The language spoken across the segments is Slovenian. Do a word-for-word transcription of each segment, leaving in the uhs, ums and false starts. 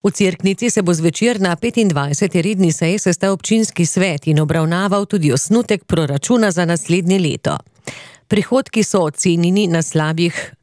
V Cerknici se bo zvečer na petindvajseti redni seji sestal občinski svet in obravnaval tudi osnutek proračuna za naslednje leto. Prihodki so ocenjeni na slabih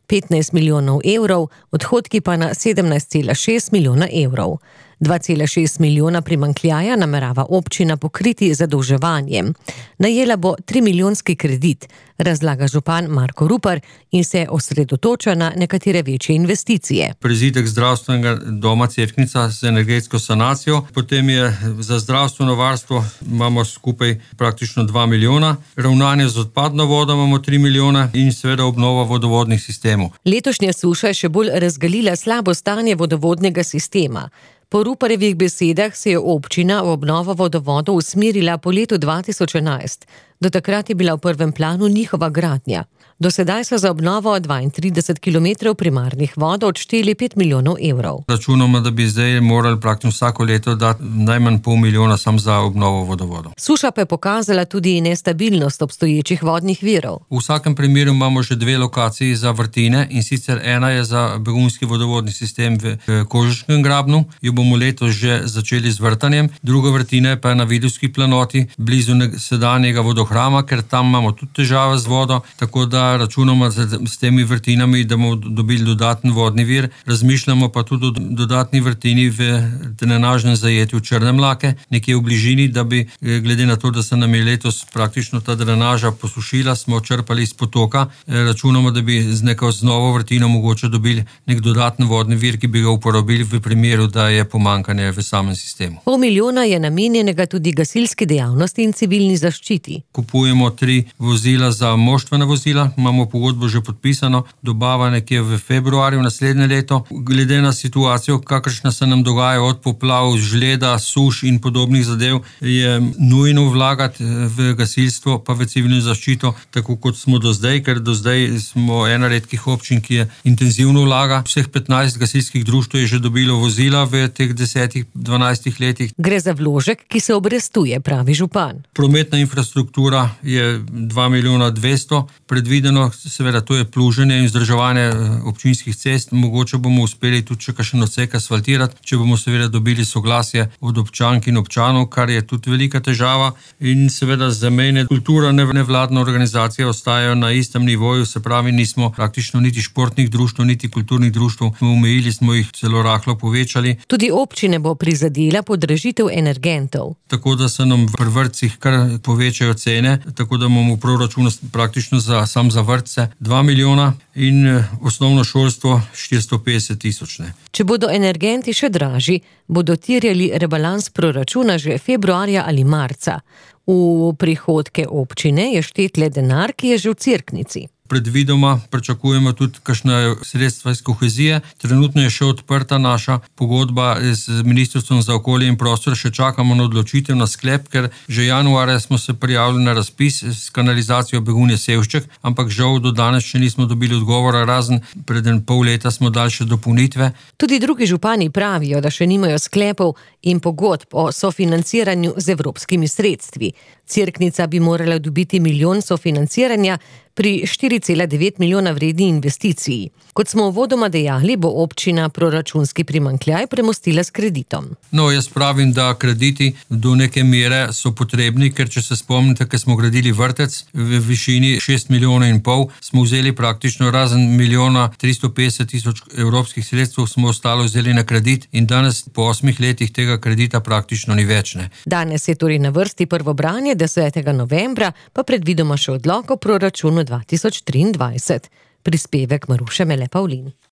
petnajst milijonov evrov, odhodki pa na sedemnajst cela šest milijona evrov. dva cela šest milijona primanjkljaja namerava občina pokriti z zadolževanjem. Najela bo trimilijonski kredit, razlaga župan Marko Rupar in se osredotoča na nekatere večje investicije. Prizidek zdravstvenega doma Cerknica z energetsko sanacijo, potem je za zdravstveno varstvo imamo skupaj praktično dva milijona, ravnanje z odpadno vodo imamo tri milijona in seveda obnova vodovodnih sistemov. Letošnja suša je še bolj razgalila slabo stanje vodovodnega sistema. Po Ruparjevih besedah se je občina v obnovo vodovodov usmerila po letu dva tisoč enajst. Do takrat je bila v prvem planu njihova gradnja. Do sedaj so za obnovo dvaintrideset kilometrov primarnih vodov odšteli pet milijonov evrov. Računamo, da bi zdaj morali praktično vsako leto dati najmanj pol milijona sam za obnovo vodovodov. Suša pa je pokazala tudi nestabilnost obstoječih vodnih virov. V vsakem primeru imamo že dve lokaciji za vrtine, in sicer ena je za begunjski vodovodni sistem v Kožeškem grabnu, jo bomo letos že začeli z vrtanjem, druga vrtina je pa na Vidovski planoti, blizu sedanjega vodohrama, ker tam imamo tudi težave z vodo, tako da računamo s temi vrtinami, da bomo dobili dodaten vodni vir. Razmišljamo pa tudi o dodatni vrtini v drenažnem zajetju Črne Mlake, nekje v bližini, da bi, glede na to, da se nam je letos praktično ta drenaža posušila, smo črpali iz potoka, računamo, da bi z neko z novo vrtino mogoče dobili nek dodaten vodni vir, ki bi ga uporabili v primeru, da je pomanjkanje v samem sistemu. Pol milijona je namenjenega tudi gasilski dejavnosti in civilni zaščiti. Kupujemo tri vozila za moštvena vozila, imamo pogodbo že podpisano, dobava nekje v februarju naslednje leto. Glede na situacijo, kakršna se nam dogaja od poplav, žleda, suš in podobnih zadev, je nujno vlagati v gasilstvo pa v civilno zaščito, tako kot smo do zdaj, ker do zdaj smo ena redkih občin, ki je intenzivno vlaga. Vseh petnajst gasilskih društev je že dobilo vozila v teh desetih, dvanajstih letih. Gre za vložek, ki se obrestuje, pravi župan. Prometna infrastruktura je dva milijona dvesto, predvideno, seveda to je pluženje in vzdrževanje občinskih cest, mogoče bomo uspeli tudi še kakšen odsek asfaltirati, če bomo seveda dobili soglasje od občank in občanov, kar je tudi velika težava, in seveda zamejne kultura, nevladna organizacija ostajajo na istem nivoju, se pravi, nismo praktično niti športnih društev, niti kulturnih društev, omejili smo jih, celo rahlo povečali. Tudi občine bo prizadela podražitev energentov. Tako da se nam pri vrtcih kar povečajo cene, tako da imamo v proračunu praktično za, sam za vrtce dva milijona in osnovno šolstvo štiristo petdeset tisoč. Če bodo energenti še dražji, bodo terjali rebalans proračuna že februarja ali marca. V prihodke občine je štet le denar, ki je že v Cerknici. Predvidoma pričakujemo tudi kakšna sredstva iz kohezije. Trenutno je še odprta naša pogodba z Ministrstvom za okolje in prostor, še čakamo na odločitev, na sklep, ker že januarja smo se prijavili na razpis s kanalizacijo Begunje-Sevšček, ampak žal do danes še nismo dobili odgovora, razen pred pol leta smo dali še dopolnitve. Tudi drugi župani pravijo, da še nimajo sklepov in pogodb o sofinanciranju z evropskimi sredstvi. Cerknica bi morala dobiti milijon sofinanciranja pri štiri cela devet milijona vredni investiciji. Kot smo uvodoma dejali, bo občina proračunski primanjkljaj premostila s kreditom. No, jaz pravim, da krediti do neke mere so potrebni, ker če se spomnite, ker smo gradili vrtec v višini šest milijonov in pol, smo vzeli praktično razen milijona tristo petdeset tisoč evropskih sredstev, smo ostalo vzeli na kredit in danes po osmih letih tega kredita praktično ni več. Ne. Danes je torej na vrsti prvo branje, desetega novembra, pa predvidoma še odlok o proračunu dva tisoč triindvajset. Prispevek Maruše Mele Pavlin.